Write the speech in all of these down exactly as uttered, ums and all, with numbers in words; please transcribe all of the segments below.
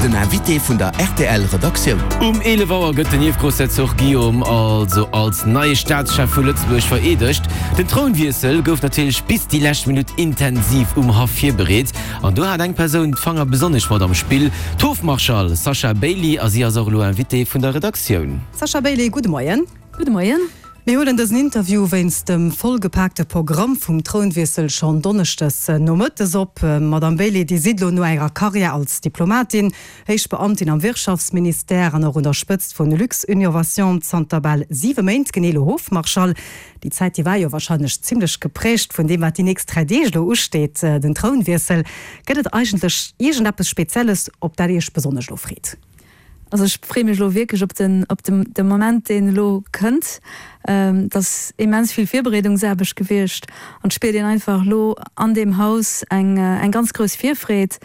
Den Invité vun der R T L Redaktioun. Um eelef Auer gëtt den Ierfgroussherzog Guillaume also als neie Staatschef vu Lëtzebuerg vereedegt. Den Trounwiessel gouf natierlech bis déi lescht Minutt intensiv um Haff virbereet. An do hat eng Persoun d'Fanger besonnesch mat am Spill, d'Hofmarschall Sasha Bailey, a si ass och elo Invitée vun der Redaktioun. Sasha Bailey, gudde Moien. Gudde Moien. Mir huelen dësen Interview wéinst dem vollgepaakte Programm vum Trounwiessel schonn donneschdes nomëttes op. Madame Bailey, Dir sidd elo no Ärer Karriär als Diplomatin, Héichbeamtin am Wirtschaftsministère an och un der Spëtzt vun Luxinnovation zanter bal siwe Méint genee elo Hofmarschall. Déi Zäit, déi war jo warscheinlech zimmlech geprägt vun deem, wat déi nächst dräi Deeg elo usteet, den Trounwiessel. Gëtt et eigentlech iergendeppes Spezielles, op dat Dir Iech besonnesch elo freet? Also ech freeë mech elo wierklech op den, op den, de Moment, deen elo kënnt. Ähm, dat ass immens vill Virbereedungsaarbecht gewiescht an et spiert een einfach elo an deem Haus eng, eng ganz grouss Virfreed.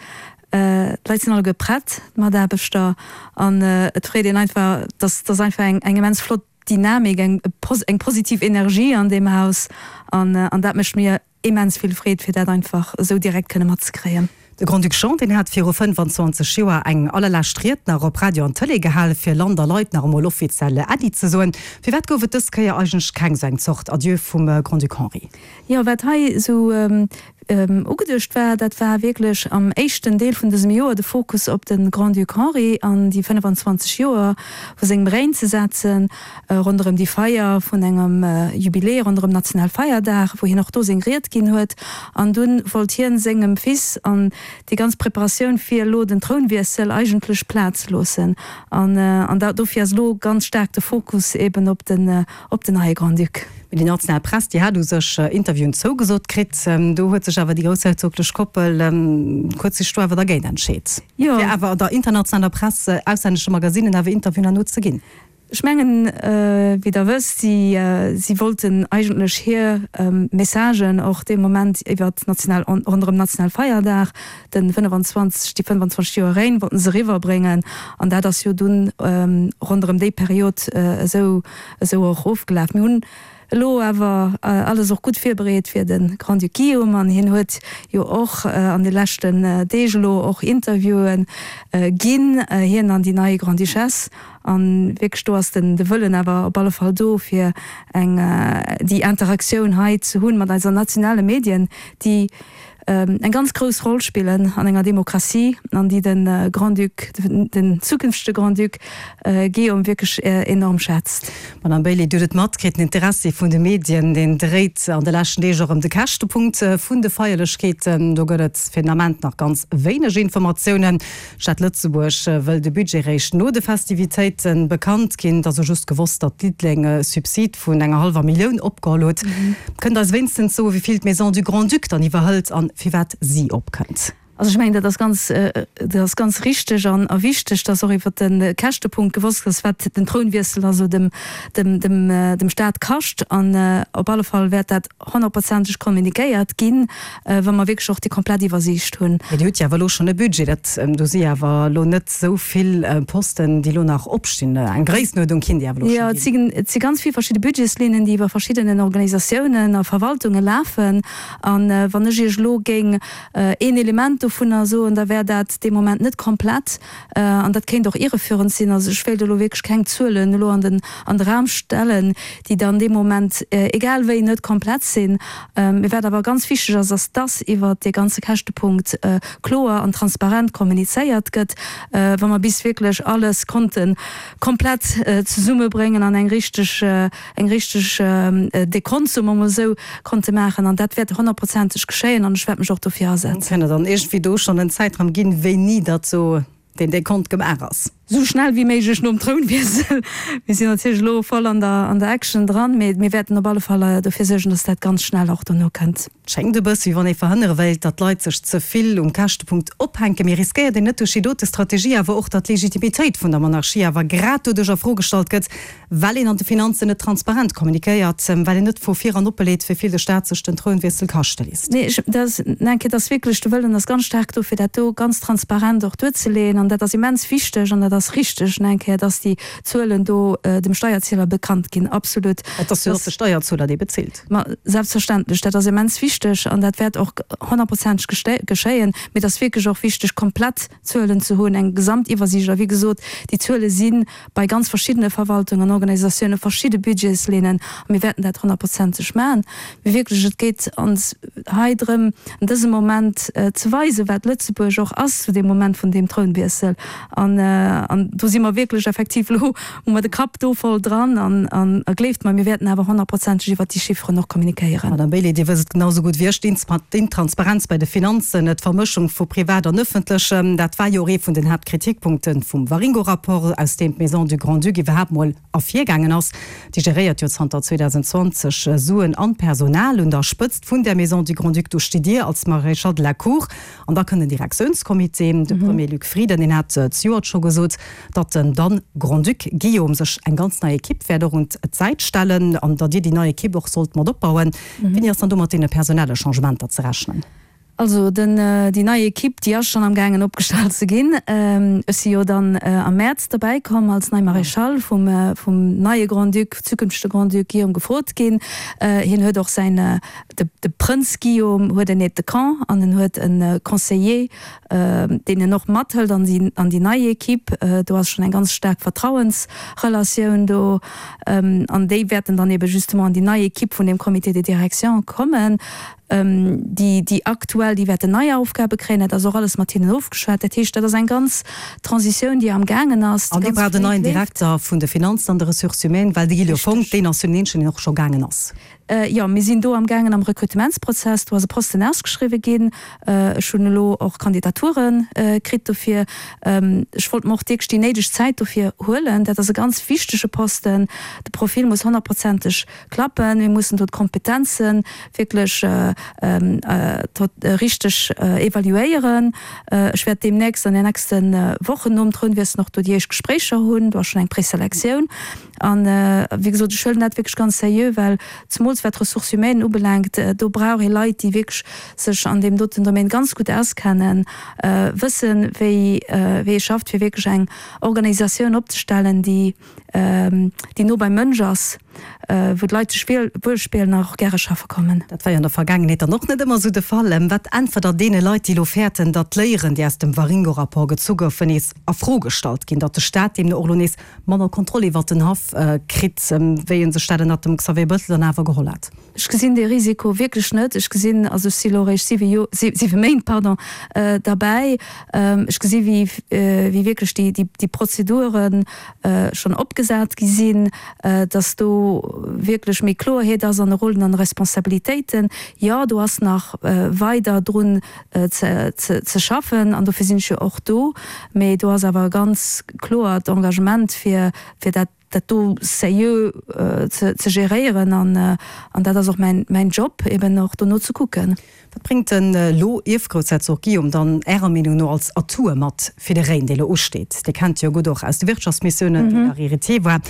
Äh, d'Leit sinn alleguer prett, d'Mataarbechter, an et freet een einfach, dass, dass einfach eng, eng immens flott Dynamik, eng, eng positiv Energie an deem Haus an, an dat mécht mir immens vill Freed, fir dat einfach esou direkt kënne matzekréien. De Grand-Duc Jean, deen hat viru fënnfanzwanzeg Joer eng allerlescht Ried nach op Radio an Tëlee gehal, fir Land a Leit nach emol offiziell Äddi ze soen. Firwat gouf et dës Kéier eigentlech keng esou eng Zort Adieu vum Grand-Duc Henri? Jo, wat hei esou ugeduecht war, dat war wierklech am éischten Deel vun dësem Joer de Fokus op de Grand-Duc Henri an déi fënnfanzwanzeg Joer vu sengem Règne ze setzen, ronderëm déi Feier vun engem Jubiläum, ronderëm Nationalfeierdag, wou hien och do seng Ried ginn huet. An dunn wollt hien sengem Fils an déi ganz Preparatioun fir elo den Trounwiessel eigentlech Plaz loossen. An an da dofir ass elo ganz staark de Fokus eben op den op den neie Grand-Duc. Mee déi national Press, déi hat u sech Interviewen zougesot kritt. Do huet sech awer déi groussherzoglech Koppel kuerz do awer dergéint entscheet. Jo. Fir awer der internationaler Press, auslännesche Magazinen awer Interviewen herno ze ginn. Ech mengen, wéi Der wësst, si si wollten eigentlech hir Messagen och dee Moment iwwert national ronderëm Nationalfeierdag, de fënnfanzwanzeg, déi fënnfanzwanzeg Joer Règne wollten se eriwwerbréngen. An dat ass jo dunn ronderëm déi Period esou esou och ofgelaf. Mir hunn elo awer alles och gutt virbereet fir de Grand-Duc Guillaume an hien huet jo och an de leschten Deeg elo och Interviewen ginn, hien an déi nei Grande-Duchesse. An wierklech do ass den de Wëllen awer op alle Fall do fir eng déi Interaktioun hei ze hunn mat eiser nationale Medien, déi eng ganz grouss Roll spillen an enger Demokratie an déi de Grand-Duc, den zukünftege Grand-Duc Guillaume wierklech enorm schätzt. Madame Bailey, Dir hutt et matkritt, den Interessi vun de Medien, deen dréit an de leschten Deeg och ëm de Käschtepunkt vun de Feierlechkeeten. Do gëtt et fir den Ament nach ganz wéineg Informatiounen. D'Stad Lëtzebuerg wëll de Budget réischt no de Festivitéite bekannt ginn. Et ass jo just gewosst, datt Diddeleng e Subsid vun enger hallwer Millioun opgeholl huet. Kënnt Der eis wéinstens soen, wéi vill d'Maison du Grand-Duc dann iwwerhëlt an firwat si opkënnt? Also ech mengen, dat ass ganz, dat ass ganz richteg an a wichteg, dass och iwwert de Käschtepunkt gewosst ass, wat den Trounwiessel also dem, dem, dem, dem Staat kascht. An op alle Fall wäert dat honnertprozenteg kommunikéiert ginn, wa mer wierklech och déi komplett Iwwersiicht hunn. Mee Dir hutt jo awer elo schonn e Budget. Dat, do si awer elo net esou vill Posten, déi elo nach opstinn. Eng Gréissenuerdnung kinnt Dir awer elo Jo, scho et si, ginn. et si ganz vill verschidde Budgetslinnen, déi iwwer verschiddenen Organisatiounen a Verwaltunge lafen. An wann ech Iech elo géing een Element dovunner soen, da wär dat dee Moment net komplett an dat kéint och irreführend sinn. Also ech wéilt elo wierklech keng Zuelen elo an den an de Raum stellen, déi dann dee Moment egal wéi net komplett sinn. Mee wat awer ganz wichteg ass, ass dass iwwert dee ganze Käschtepunkt kloer an transparent kommunizéiert gëtt, wa mer bis wierklech alles konnte komplett zesummebréngen an eng richteg eng richteg Dekont, soe mer emol esou, konnte maachen. An dat wäert honnertprozenteg geschéien an ech wäert mech och dofir asetzen. Kënnt Der dann iergendwéi do schonn en Zäitraum ginn, wéini dat sou deen Dekont gemaach ass? Sou schnell wéi méiglech nom Trounwiessel. Mir sinn natierlech elo voll an der an der Action dran, mee mir wäerten op alle Fall dofir suergen, dass dat ganz schnell och dono kënnt. Et schéngt e bësse wéi wann ee verhënnere wéilt, datt d'Leit sech ze vill um Käschtepunkt ophänken. Mee riskéiert een net duerch déi dote Strategie awer och, datt d'Legitimitéit vun der Monarchie awer grad doduerch a Fro gestallt gëtt, well een an de Finanzen net transparent kommunikéiert, well een net vu vir an oppeleet, wéi vill de Staat sech den Trounwiessel kaschte léisst? Nee, ech, dat ass, eng Kéier, dat ass wierklech, de Wëllen ass ganz staark do, fir dat do ganz transparent och duerzeleeën. An dat ass immens wichteg an dat ass ass richteg, eng Kéier, dass déi Zuelen do dem Steierzieler bekannt ginn. Absolut. Et ass jo och de Steierzueler, dee bezilt. Ma selbstverständlech, dat ass immens wichteg an dat wäert och honnertprozenteg geschéien. Mee et ass wierklech och wichteg, komplett Zuelen ze hunn, eng Gesamtiwwersiicht. A wéi gesot, déi Zuele si bei ganz verschiddene Verwaltungen an Organisatiounen, verschidde Budgetslinnen a mir wäerten dat honnertprozenteg maachen. Mee wierklech, et geet ons hei drëm, an dësem Moment ze weisen, wat Lëtzebuerg och ass zu deem Moment vun deem Trounwiessel. An, an do si mer wierklech effektiv elo, hu mer de Kapp do voll dran an, an gleeft mer, mir wäerten awer honnertprozenteg iwwert déi Chifferen och kommunikéieren. Madame Bailey, Dir wësst et genau esou gutt wéi ech, d'Intransparenz bei de Finanzen, d'Vermëschung vu Privat an Ëffentlechem, dat war jo och ee vun den Haaptkritikpunkte vum Waringo-Rapport, aus deem d'Maison du Grand-Duc iwwerhaapt mol ervirgaangen ass. Déi geréiert jo zanter zweedausendzwanzeg Suen an Personal. Un der Spëtzt vun där Maison du Grand-Duc, do stitt Dir als Maréchal de la Cour. An da kënnt den Direktiounscomité. De Premier Luc Frieden, deen hat zejoert scho gesot, datt den dann Grand-Duc Guillaume sech eng ganz nei Ekipp wäert och un d'Säit stellen an datt Dir déi nei Ekipp och sollt mat opbauen. Wéini ass dann do mat deene personelle Changementer ze rechnen? Also den, déi nei Ekipp, déi ass schonn am gaangen opgestallt ze ginn. Ech si jo dann am Mäerz derbäi komm als nei Maréchale vum, vum neie Grand-Duc, zukünftege Grand-Duc Guillaume gefrot ginn. Hien huet och säin, de, de Prënz Guillaume huet en Aide de camp an en huet e Conseiller, deen en och mathëlt an déi, an déi nei Ekipp. Do ass schonn eng ganz staark Vertrauensrelatioun do. An déi wäerten dann ebe justement an déi nei Ekipp vun deem Comité de direction kommen. Déi, déi aktuell, déi wäerten nei Aufgabe kréien. Dat ass och alles mat hinnen ofgeschwat. Dat heescht, dat ass eng ganz Transitioun, déi amgaangen ass, déi An Dir ganz braucht en fréi neien leeft. Direkter vun de Finanzen an de Ressources humaines, well de Guy Fonck, Richteg. deen ass jo den eenzegen, deen och scho gaangen ass. Jo, mir sinn do amgaangen am Rekrutementsprozess. Do ass e Posten ausgeschriwwe ginn. Ech hunn elo och Kandidature kritt dofir. Ech wollt mer och wierklech déi néideg Zäit dofir huelen. Dat ass e ganz wichtege Posten. De Profil muss honnertprozenteg klappen. Mir mussen do d'Kompetenze wierklech richteg evaluéieren. Ech wäert deemnächst an den nächste Wochen nom Trounwiessel och do déi éischt Gespréicher hunn. Do ass schonn eng Preselektioun. An, wéi gesot, ech huelen dat wierklech ganz seriö, well zemools wat d'Ressources humaines ubelaangt, do brauch ee Leit, déi wierklech sech an deem doten Domaine ganz gutt auskennen, wëssen, wéi wéi ee schafft, fir wierklech eng Organisatioun opzestellen, déi déi no beim Mënsch ass, wou d'Leit sech wuelspieren a och gäre schaffe kommen. Dat war jo an der Vergaangenheet dann och net ëmmer esou de Fall. Wat äntwert Der deene Leit, déi elo fäerten, datt d'Léieren, déi aus dem Waringo-Rapport gezu goufen, nees a Fro gestallt ginn, datt de Staat deemno och elo nees manner Kontroll iwwert den Haff kritt, wéi e sech dat ënnert dem Xavier Bettel dann awer geholl hat? Ech gesinn dee Risiko wierklech net. Ech gesinn, also ech si elo eréischt siwe Jo-, siwe Méint, pardon, derbäi. Ech gesi wéi, wéi wierklech déi, déi, déi Prozedure schonn opgesat gi sinn, datt do wierklech méi Kloerheet ass an de Rollen an de Responsabilitéiten. Jo, do ass nach weider drun ze, ze, ze schaffen an dofir sinn ech jo och do. Mee do ass awer e ganz kloert Engagement fir, fir dat, dat do seriö ze, ze geréieren an, an dat ass och mäin, mäin Job, eben och dono ze kucken. Wat bréngt den elo Ierfgroussherzog Guillaume dann Ärer Meenung no als Atoue mat fir de Règne, dee elo usteet? Dir kennt jo gutt och aus de Wirtschaftsmissiounen, wou en Héritier war.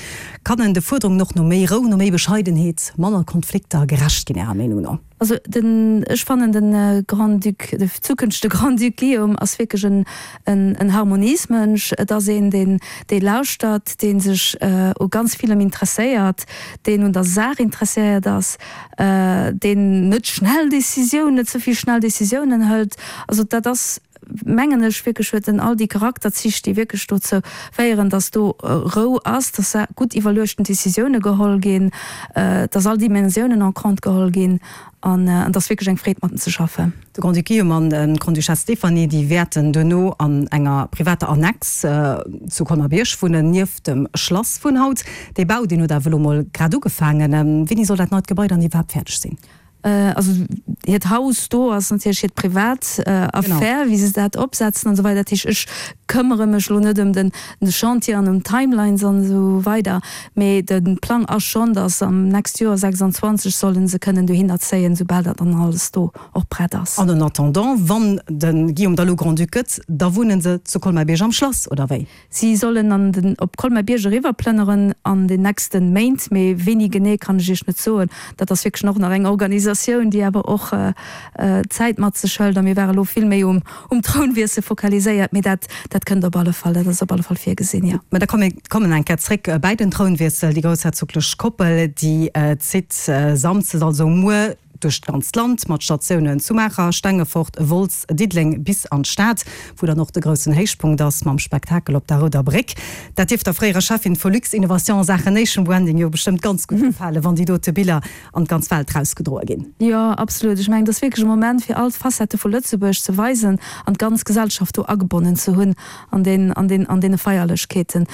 Kann en de Fuerderungen och no méi Rou, no méi Bescheidenheet, manner Konflikter gerecht ginn, Ärer Meenung no? Also den, ech fannen den Grand-Duc, de zukünftege Grand-Duc Guillaume ass wierklech en, en, en Harmoniesmënsch. Et ass een, deen, dee lauschtert, dee sech u ganz villem interesséiert, deen un der Saach interesséiert ass, deen net schnell Décisiounen, net ze vill schnell Décisiounen hëlt. Also dat ass, mengen ech, wierklech huet en all déi Charakterzich, déi wierklech dozou féieren, dass do Rou ass, dass gutt iwwerluechten Décisioune geholl ginn, dass all Dimensiounen en compte geholl ginn. An et ass wierklech eng Freed mat en ze schaffen. De Grand-Duc Guillaume an d'Grande-Duchesse Stéphanie, déi wäerten duerno an enger privater Annexe zu Colmar-Bierg wunnen, nieft dem Schlass vun haut. Dee Bau, deen huet awer elo mol grad ugefaangen. Wéini soll dat neit Gebai dann iwwerhaapt fäerdeg sinn? Also hiert Haus do ass natierlech hiert privat Affär, wéi se dat opsetzen an esou weider. Dat heescht, ech këmmere mech elo net ëm den Chantier an ëm d'Timelines an esou weider, mee de Plang ass schonn, datt am nächst Joer, sechsundzwanzeg, solle se kënnen dohinner zéien, soubal dat dann alles do och prett ass. An en attendant, wann de Guillaume da lo Grand-Duc gëtt, da wunne se zu Colmar-Bierg am Schlass, oder wéi? Si sollen an den op Colmar-Bierg eriwwerplënneren an den nächste Méint, mee wéini genee kann ech Iech net soen. Dat ass wierklech och nach eng Organisatioun. Organisatioun, déi awer och Zäit mat sech hëlt. A mir ware lo vill méi um Trounwiessel fokaliséiert, mee dat, dat kënnt op alle Fall, dat ass op alle Fall virgesinn, jo. Mä da komme mir kommen eng Kéier zréck bäi den Trounwiessel. Déi groussherzoglech Koppel, déi zitt samsdes, also muer, duerch d'ganzt Land, mat Statiounen zu Maacher, Stengefort, Wolz, Diddeleng bis an d'Stad, wou dann och de groussen Héichpunkt ass mam Spektakel op der Rouder Bréck. Dat dierft der fréierer Cheffin vu Luxinnovation a Saachen Nation Branding jo bestëmmt ganz gutt gefalen, wann déi dote Biller an d'ganz Welt rausgedroe ginn. Jo, absolut. Ech mengen, et ass wierklech e Moment, fir all d'Facettë vu Lëtzebuerg ze weisen an d'ganz Gesellschaft do agebonnen ze hunn an deen, an deen, an deene Feierlechkeeten.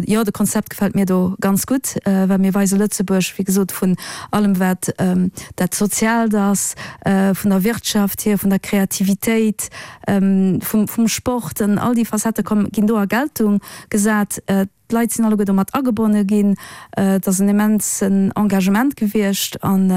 Jo, de Konzept gefält mir do ganz gutt, well mir weise Lëtzebuerg, wéi gesot, vun allem wat dat Soziaalt ass, vun der Wirtschaft hier, vun der Kreativitéit, vum, vum Sport, an all déi Facettë kommen, ginn do a Geltung gesat. D'Leit sinn alleguer do mat agebonne ginn. Et ass en immensen Engagement gewiescht an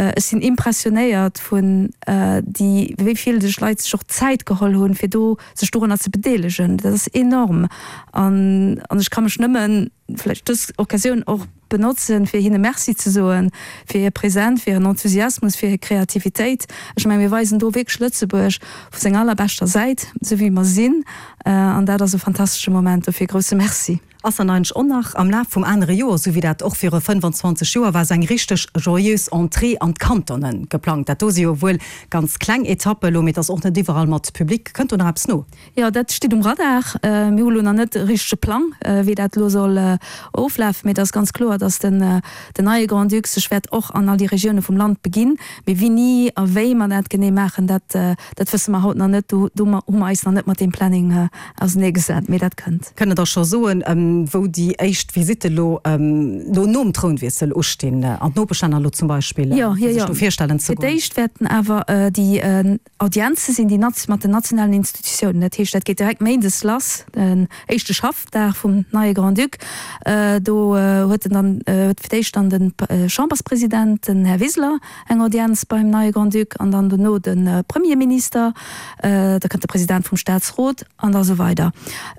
ech sinn impressionéiert vun déi, wéi vill sech Leit sech och Zäit geholl hunn, fir do sech dorunner ze bedeelegen. Dat ass enorm an ech ka mech nëmmen vläicht dës Occasioun och benotzen, fir hinne Merci ze soen, fir hir Präsenz, fir hiren Enthusiasmus, fir hir Kreativitéit. Ech mengen, mir weisen do wierklech Lëtzebuerg vu senger allerbeschter Säit, esou wéi mer sinn, an dat ass e fantastesche Moment. Dofir e grousse Merci. Ass dann eigentlech och nach am Laf vum anere Joer, esou wéi dat och viru fënnefanzwanzeg Joer war, esou eng richteg joyeuse Entrée an d'Kantone geplangt? Dat do si jo wuel ganz kleng Etappe elo, mee et ass och net iwwerall mat Public. Kënnt do nach eppes no? Jo, dat steet um Radar. Mir hu lo nach net e richtege Plang, wéi dat elo soll oflafen, mee et ass ganz kloer, datt den neie Grand-Duc sech wäert och an all déi Regioune vum Land beginn. Mee wéini a wéi mer dat genee maachen, dat dat wësse mer haut nach net. Do do hu mer eis nach net mat deem Planning auserneegesat, mee dat kënnt. Kënnt Der da scho soen, wou déi éischt Visitte elo elo nom Trounwiessel ustinn, an d'Nopeschlänner elo zum Beispill, Jo, jo, jo. Fir d'éischt wäerten awer déi Audienze sinn, déi mat den nationalen Institutiounen. Dat heescht, dat geet direkt méindes lass, den éischte Schaffdag vum neie Grand-Duc. Do huet en dann, huet fir d'éischt dann de Chamberspresident, den Här Wiseler, eng Audienz beim neie Grand-Duc an dann dono de Premierminister, da kënnt de President vum Staatsrot an da sou weider.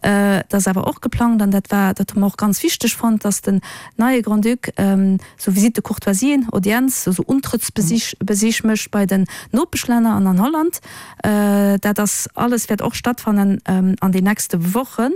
Et ass awer och geplangt, an dat war, dat hu mer och ganz wichteg fonnt, dass den neie Grand-Duc sou Visite de courtoisien, Audienz, sou Untrëttsbesich, Besich mécht bei den Nopeschlänner an an Holland. Dat ass alles wäert och stattfannen an den nächste Wochen.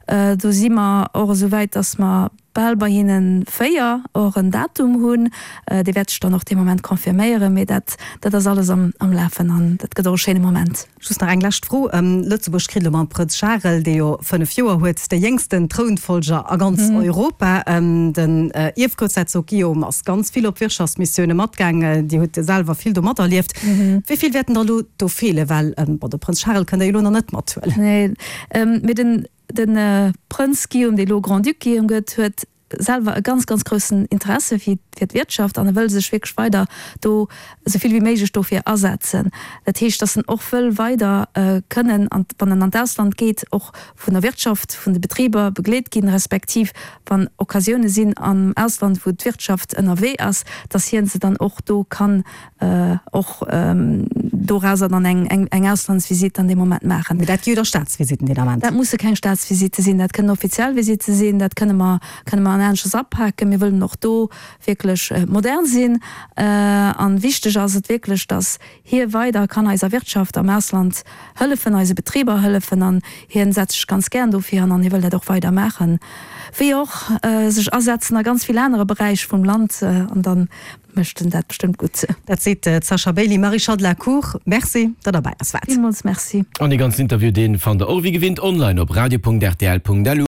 Do si mer och esou wäit, dass mer bal bei hinnen véier och en Datum hunn. Dee wäert sech dann och dee Moment confirméieren, mee dat, dat ass alles am, am Lafen an dat gëtt och e schéine Moment. Just nach eng lescht Fro, Lëtzebuerg kritt elo mam Prënz Charel, dee jo fënnef Joer huet, de jéngsten Trounfollger a ganz Europa. Den Ierfgroussherzog Guillaume ass ganz vill op Wirtschaftsmissioune matgaang. Dir hutt selwer vill do materlieft. Wéi vill wäerten der elo do feelen? Well, bon, de Prënz Charel kënnt Der jo elo nach net mathuelen. Nee, mee den, De Prënz Guillaume, dee elo Grand-Duc Guillaume gëtt, huet selwer e ganz, ganz groussen Interesse fir d'Wirtschaft an e wëll sech wierklech weider do esou vill wéi méiglech dofir asetzen. Dat heescht, datt en och wëll weider kënnen, wann en an d'Ausland geet, och vun der Wirtschaft, vun de Betriber begleet ginn, respektiv wann Occasioune sinn am Ausland, wou d'Wirtschaft ënnerwee ass, datt hie se dann och do kann och dorauser dann eng eng Auslandsvisite an deem Moment maachen. Mee dat gi jo da Staatsvisitten deen Ament. Dat musse keng Staatsvisitte sinn, dat kënnen offiziell Visitte sinn, dat kënne mer kënne mer an aneschters apaken. Mir wëllen och do wierklech modern sinn. An wichteg ass et wierklech, datt hie weider kann eiser Wirtschaft am Ausland hëllefen, eise Betriber hëllefen an hien setzt sech ganz gären dofir an an hie wëll dat och weider maachen, wéi och sech asetzen a ganz vill anere Beräich vum Land an dann Mécht en dat bestëmmt gutt. Dat seet d'Sasha Bailey. Marie-Charles de la Cour, merci, datt Der bei eis waart. Villmools merci. An dee ganzen Interview, dee fannt der och wéi gewinnt online op radio punkt rtl punkt lu.